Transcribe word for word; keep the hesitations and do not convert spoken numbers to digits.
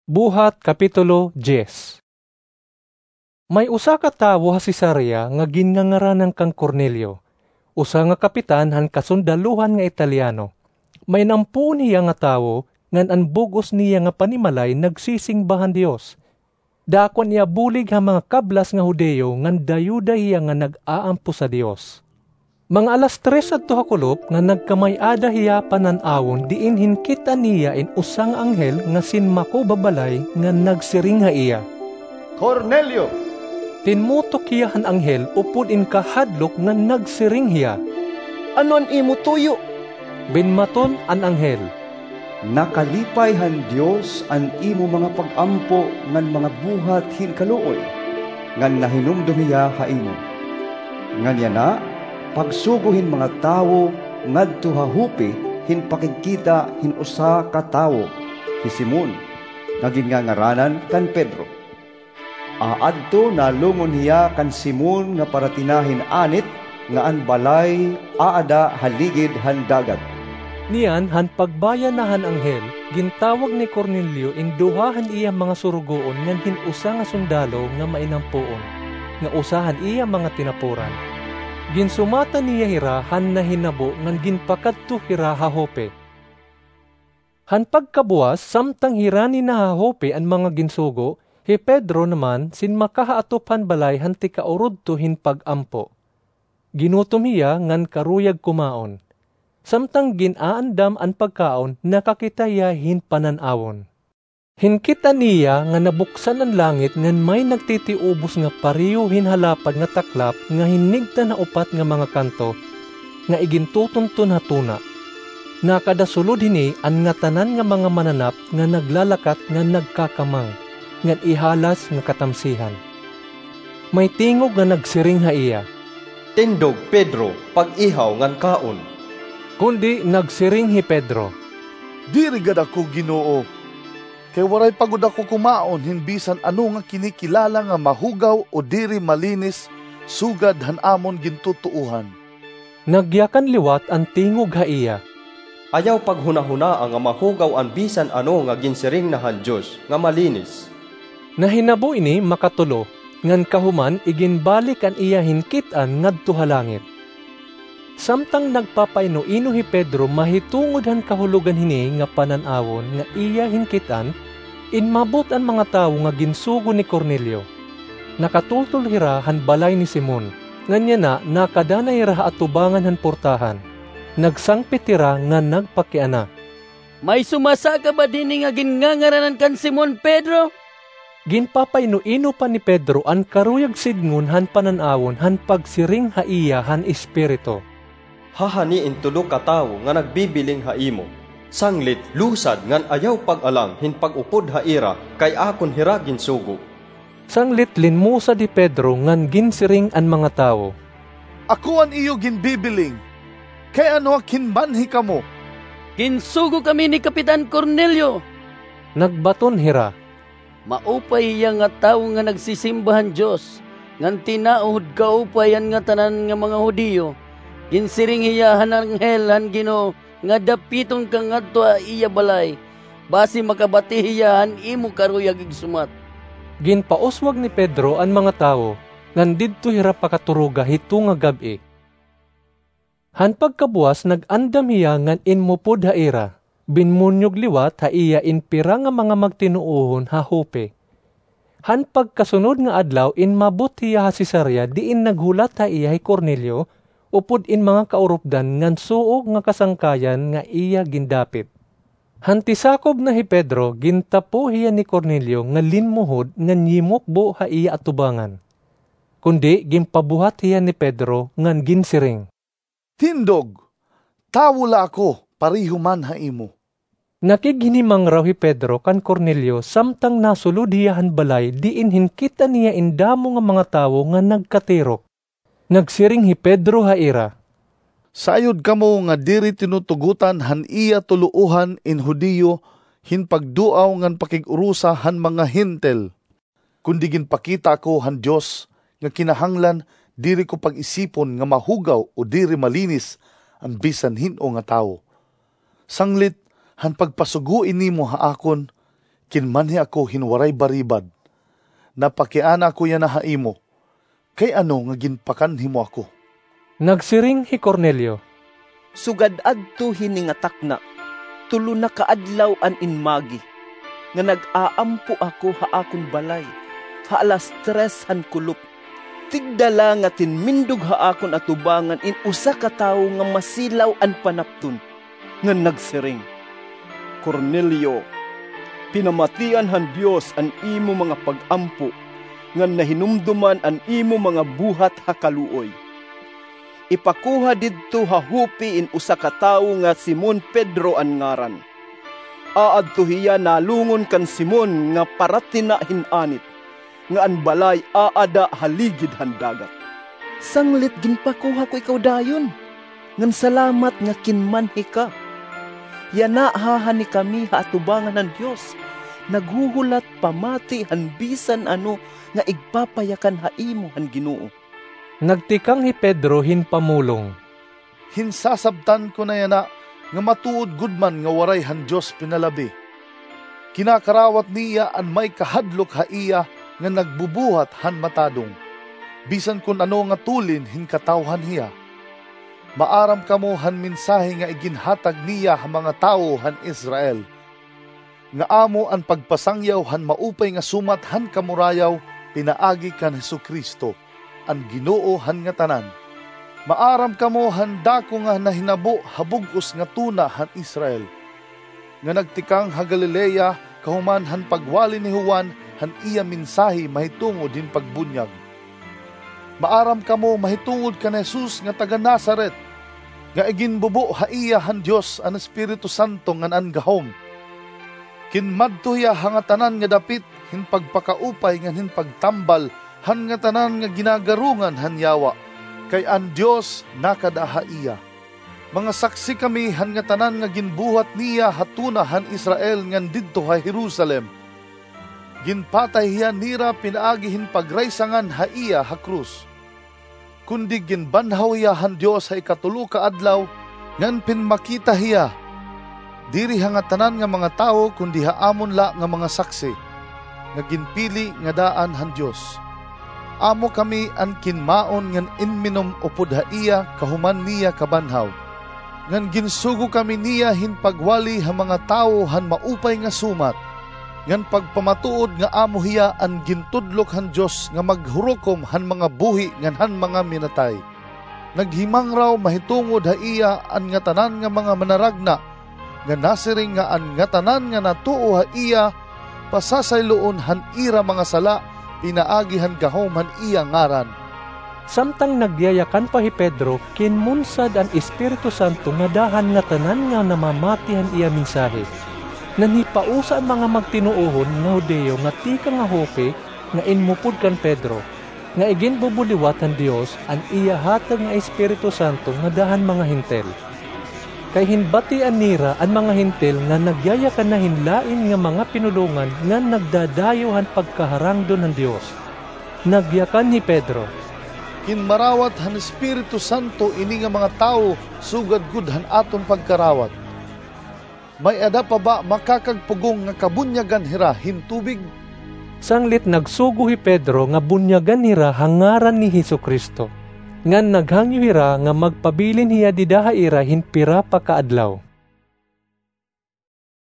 Buhat, Kapitulo diyes. May usa ka tawo ha Cesarea nga ginngangaranan kan Cornelio, usa nga kapitan han kasundaluhan nga Italiano. Mainampoon hiya nga tawo, ngan an bug-os niya nga panimalay nagsisingba han Dios. Dako an iya bulig ha mga kablas nga Judio ngan dayuda hiya nga nag-aampo sa Dios. Mga alas tres adto ha kulop nga nagkamay-ada hiya panan-awon diin hinkit-an niya in usa nga anghel nga sinmako babalay nga nagsiring ha iya, "Cornelio!" Tinmutok hiya han anghel upod in kahadlok nga nagsiring hiya. "Ano an imo tuyo?" Binmaton an anghel, "Nakalipay han Dios an imo mga pag-ampo ngan mga buhat hin kaluoy, ngan nahinumdom hiya ha imo. Ngan yana, pagsugo hin mga tawo ngadto ha Joppe hin pakigkita hin usa ka tawo, hi Simon, nga ginngangaranan kan Pedro. Aadto nalungon hiya kan Simon nga paratina hin anit nga an balay aada ha ligid han dagat." Niyan, han pagbaya na han anghel, gintawag ni Cornelio in duha han iya mga surugoon ngan hin usa nga sundalo nga mainampoon, nga usa han iya mga tinapuran. Ginsumatan niya hira han nahinabo ngan ginpakadto hira ha Joppe. Han pagkabuwas, samtang hirani na ha Joppe an mga ginsugo, hi Pedro naman sinmaka ha atop han balay han tikaurudto hin pag-ampo. Ginutom hiya ngan karuyag kumaon. Samtang gin-aandam an pagkaon, nakakita hiya hin panan-awon. Hinkit-an niya nga nabuksan an langit ngan may nagtitiubos nga pareho hin halapad nga taklap nga hinigtan ha upat nga mga kanto nga igintutunton ha tuna. Nakadasulod hini an ngatanan nga mga mananap nga naglalakat ngan nagkakamang ngan ihalas nga katamsihan. May tingog nga nagsiring ha iya, "Tindog, Pedro, pag-ihaw ngan kaon." Kundi nagsiring hi Pedro, "Diri gad ako, Ginoo, kay waray pa gud ako kumaon hin bisan ano nga kinikilala nga mahugaw o diri malinis sugad han amon gintutuohan." Nagyakan liwat an tingog ha iya, "Ayaw paghunahunaa nga mahugaw an bisan ano nga ginsiring na han Dios nga malinis." Nahinabo ini makatulo, ngan kahuman iginbalik an iya hinkit-an ngadto ha langit. Samtang nagpapaino-ino hi Pedro mahitungod han kahulogan hini nga panan-awon nga iya hinkit-an, inmabot an mga tawo nga ginsugo ni Cornelio. Nakatultol hira han balay ni Simon, ngan yana nakadanay hira ha atubangan han portahan. Nagsangpit hira ngan nagpakiana, "May sumasaka ba dinhi nga ginngangaranan kan Simon Pedro?" Ginpapaino-ino pa ni Pedro an karuyag sidngon han panan-awon han pagsiring ha iya han Espiritu, "Hahani in tulo ka tawo nga nagbibiling ha imo. Sanglit, lusad ngan ayaw pag-alang hin pag-upod ha ira, kay akon hira ginsugo." Sanglit linmusad hi Pedro ngan ginsiring an mga tawo, "Ako an iyo ginbibiling. Kay ano ak hin manhi kamo?" "Ginsugo kami ni Kapitan Cornelio." Nagbaton hira, "Maupay hiya nga tawo nga nagsisimba han Dios, ngan tinaod kaupay han ngatanan nga mga Judio. Ginsiring hiya han anghel han Ginoo nga dapiton ka ngadto ha iya balay, basi makabati hiya han imo karuyag igsumat." Ginpauswag ni Pedro an mga tawo, ngan didto hira pakaturoga hito nga gab-i. Han pagkabuwas, nag-andam hiya ngan inmupod ha ira. Binmunyog liwat ha iya in pira nga mga magtinuohon ha Joppe. Han pagkasunod nga adlaw, inmabot hiya ha Cesarea, diin naghulat ha iya hi Cornelio upod in mga kaurupdan ngan suog nga kasangkayan nga iya gindapit. Han tisakob na hi Pedro, gintapo hiya ni Cornelio nga linmuhod ngan yimukbo ha iya atubangan. Kundi ginpabuhat hiya ni Pedro ngan ginsiring, "Tindog, tawo la ako, pareho man ha imo." Nakighinimangaraw hi Pedro kan Cornelio samtang nasulod hiya han balay diin hinkit-an niya in damo nga mga tawo nga nagkatirok. Nagsiring hi Pedro ha ira, "Sayod kamo nga diri tinutugotan han iya tuloohan in Judio hin pagduaw ngan pakig-urosa han mga Hentil. Kundi ginpakita ako han Dios nga kinahanglan diri ko pag-isipon nga mahugaw o diri malinis an bisan hin-o nga tawo. Sanglit han pagpasugo ini mo ha akon, Kinmanhi ako hin waray baribad. Napakiana ako yana ha imo. Kay ano nga ginpakanhi mo ako? Nagsiring hi Cornelio, "Sugad adto hini nga takna, tulo na ka adlaw an inmagi nga nag-aampo ako ha akon balay ha alas tres han kulop. Tigda la nga tinmindog ha akon atubangan in usa ka tawo nga masilaw an panapton, ngan nagsiring, 'Cornelio, pinamatian han Dios an imo mga pag-ampo, ngan nahinumduman an imo mga buhat ha kaluoy. Ipakuha didto ha Joppe in usa ka tawo nga Simon Pedro an ngaran. Aadto hiya nalungon kan Simon nga paratina hin anit, nga an balay aada ha ligid han dagat.' Sanglit ginpakuha ko ikaw dayon, ngan salamat nga kinmanhi ka. Yana ha, hani kami ha atubangan han Dios, naghuhulat pamati han bisan ano nga igpapayakan ha imo han Ginoo." Nagtikang hi Pedro hin pamulong, "Hinsasabtan ko na yana nga matuod gud man nga waray han Dios pinalabi. Kinakarawat niya an may kahadlok ha iya nga nagbubuhat han matadong, bisan kon ano nga tulin hin katawhan hiya. Maaram kamo han mensahe nga iginhatag niya ha mga tawo han Israel, nga amo an pagpasangyaw han maupay nga sumat han kamurayaw pinaagi kan Jesu-Cristo, an Ginoo han ngatanan. Maaram kamo han dako nga nahinabo ha bug-os nga tuna han Israel, nga nagtikang ha Galilea kahuman han pagwali ni Juan han iya mensahe mahitungod hin pagbunyag. Maaram kamo mahitungod kan Jesus nga taga-Nazaret, nga iginbubo ha iya han Dios an Espiritu Santo ngan an gahom. Kinmadto hiya ha ngatanan nga dapit hin pagpakaupay ngan hin pagtambal han ngatanan nga ginagarungan han yawa, kay an Dios nakada ha iya. Mga saksi kami han ngatanan nga ginbuhat niya ha tuna han Israel ngan didto ha Jerusalem. Ginpatay hiya nira pinaagi hin pagraysangan ha iya ha krus. Kundi ginbanhaw hiya han Dios ha ikatulo ka adlaw, ngan pinmakita hiya, diri ha ngatanan nga mga tawo, kundi ha amon la nga mga saksi, nga ginpili nga daan han Dios. Amo kami an kinmaon ngan inminom upod ha iya kahuman niya kabanhaw. Ngan ginsugo kami niya hin pagwali ha mga tawo han maupay nga sumat, ngan pagpamatuod nga amo hiya an gintudlok han Dios nga maghurukom han mga buhi ngan han mga minatay. Naghimangraw mahitungod ha iya an ngatanan nga mga manaragna, nga nasiring nga an ngatanan nga natuo ha iya pasasayloon han ira mga sala pinaagi han gahom han iya ngaran." Samtang nagyayakan pa hi Pedro, kinmunsad an Espiritu Santo ngada han ngatanan nga namamati han iya mensahe. Nanhipausa an mga magtinuohon nga Judio nga tikang ha Joppe nga inmupod kan Pedro, nga iginbubuliwat han Dios an iya hatag nga Espiritu Santo ngada han mga Hentil. Kay hinbatian nira an mga Hentil nga nagyayakan na hin lain nga mga pinulongan ngan nagdadayaw han pagkaharangdon han Dios. Nagyakan hi Pedro, "Kinmarawat han Espiritu Santo ini nga mga tawo sugad gud han aton pagkarawat. May-ada pa ba makakagpugong nga kabunyagan hira hin tubig?" Sanglit nagsugo hi Pedro nga bunyagan hira ha ngaran ni Jesu-Cristo. Ngan naghangyo hira nga magpabilin hiya dida ha ira hin pira pa ka adlaw.